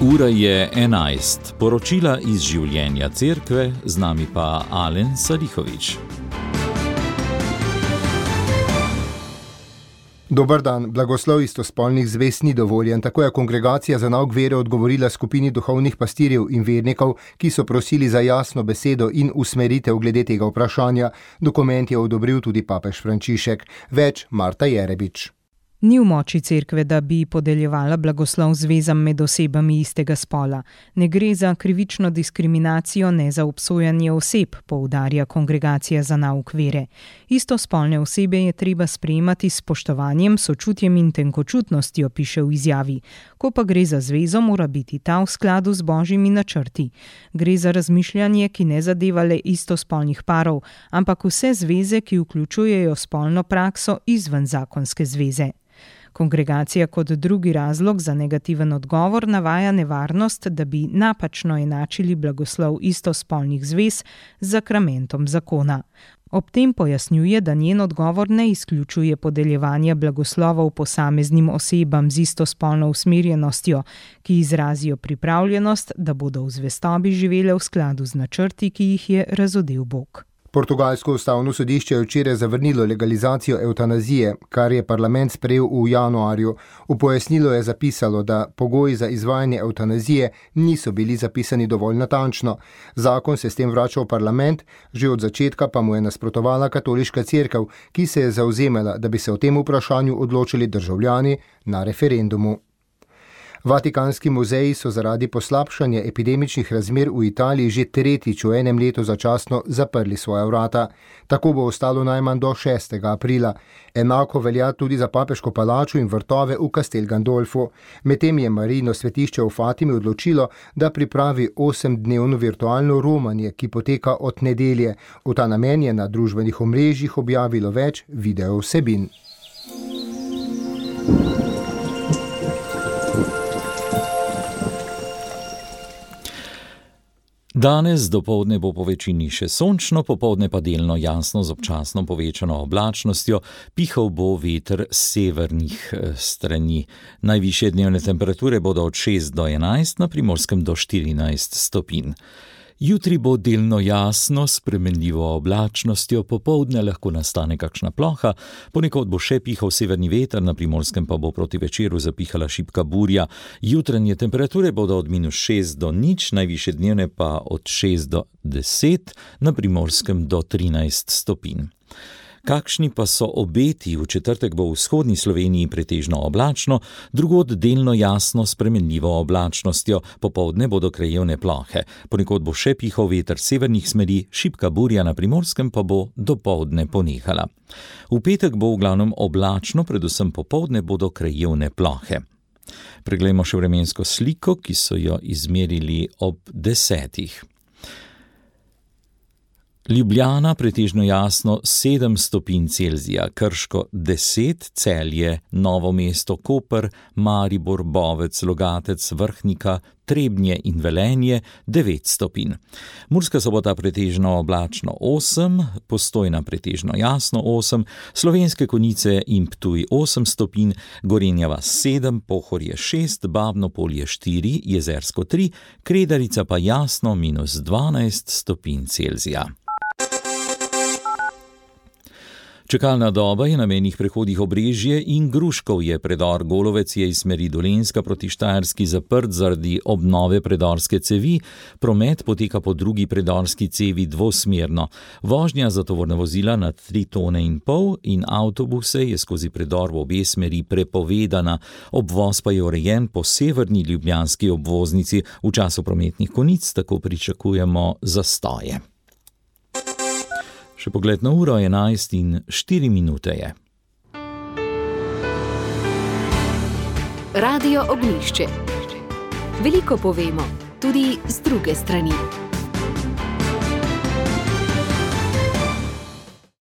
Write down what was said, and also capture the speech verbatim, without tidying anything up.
Ura je enajst. Poročila iz življenja cerkve, z nami pa Alen Salihović. Dober dan. Blagoslov istospolnih zvez ni dovoljen. Tako je Kongregacija za nauk vere odgovorila skupini duhovnih pastirjev in vernikov, ki so prosili za jasno besedo in usmeritev glede tega vprašanja. Dokument je odobril tudi papež Frančišek. Več Marta Jerebič. Ni v moči cerkve, da bi podeljevala blagoslov zvezam med osebami istega spola. Ne gre za krivično diskriminacijo, ne za obsojanje oseb, poudarja Kongregacija za nauk vere. Istospolne osebe je treba sprejemati s spoštovanjem, sočutjem in tenkočutnostjo, piše v izjavi. Ko pa gre za zvezo, mora biti ta v skladu z božjimi načrti. Gre za razmišljanje, ki ne zadeva le istospolnih parov, ampak vse zveze, ki vključujejo spolno prakso izven zakonske zveze. Kongregacija kot drugi razlog za negativen odgovor navaja nevarnost, da bi napačno enačili blagoslov istospolnih zvez z sakramentom zakona. Ob tem pojasnjuje, da njen odgovor ne izključuje podeljevanja blagoslovov posameznim osebam z istospolno usmerjenostjo, ki izrazijo pripravljenost, da bodo v zvestobi živele v skladu z načrti, ki jih je razodel Bog. Portugalsko ustavno sodišče je včeraj zavrnilo legalizacijo evtanazije, kar je parlament sprejel v januarju. V pojasnilu je zapisalo, da pogoji za izvajanje evtanazije niso bili zapisani dovolj natančno. Zakon se s tem vrača v parlament, že od začetka pa mu je nasprotovala katoliška cerkev, ki se je zavzemala, da bi se o tem vprašanju odločili državljani na referendumu. Vatikanski muzeji so zaradi poslabšanja epidemičnih razmer v Italiji že tretjič v enem letu začasno zaprli svoja vrata. Tako bo ostalo najmanj do šestega aprila. Enako velja tudi za papeško palačo in vrtove v Castel Gandolfu. Medtem je Marijino svetišče v Fatimi odločilo, da pripravi osemdnevno virtualno romanje, ki poteka od nedelje. V ta namen je na družbenih omrežjih objavilo več video vsebin. Danes dopoldne bo po večini še sončno, popoldne pa delno jasno z občasno povečano oblačnostjo, pihal bo veter s severnih strani. Najvišje dnevne temperature bodo od šest do enajst, na Primorskem do štirinajst stopinj. Jutri bo delno jasno, s spremenljivo oblačnostjo, popoldne lahko nastane kakšna ploha, ponekod bo še pihal severni veter, na Primorskem pa bo proti večeru zapihala šibka burja. Jutranje temperature bodo od minus šest do nič, najvišje dnevne pa od šest do deset, na Primorskem do trinajst stopinj. Kakšni pa so obeti? V četrtek bo v vzhodni Sloveniji pretežno oblačno, drugod delno jasno s spremenljivo oblačnostjo, popoldne bodo krajevne plohe. Ponekod bo še pihal veter severnih smeri, šibka burja na Primorskem pa bo dopoldne ponehala. V petek bo v glavnem oblačno, predvsem popoldne bodo krajevne plohe. Preglejmo še vremensko sliko, ki so jo izmerili ob desetih. Ljubljana pretežno jasno sedem stopinj Celzija, Krško deset, Celje, Novo mesto, Koper, Maribor, Bovec, Logatec, Vrhnika, Trebnje in Velenje devet stopinj. Murska Sobota pretežno oblačno osem, Postojna pretežno jasno osem, Slovenske Konjice in Ptuj osem stopinj, Gorenja vas sedem, Pohorje šest, Babno Polje štiri, Jezersko tri, Kredarica pa jasno minus dvanajst stopinj Celzija. Čakalna doba je na mejnih prehodih Obrežje in Gruškovje. Predor Golovec je iz smeri Dolenjska proti Štajerski zaprt zaradi obnove predorske cevi. Promet poteka po drugi predorski cevi dvosmerno. Vožnja za tovorna vozila na tri tone in pol in avtobuse je skozi predor v obe smeri prepovedana. Obvoz pa je urejen po severni ljubljanski obvoznici. V času prometnih konic tako pričakujemo zastoje. Še pogled na uro enajst in štiri minute je. Radio Ognjišče. Veliko povemo, tudi z druge strani.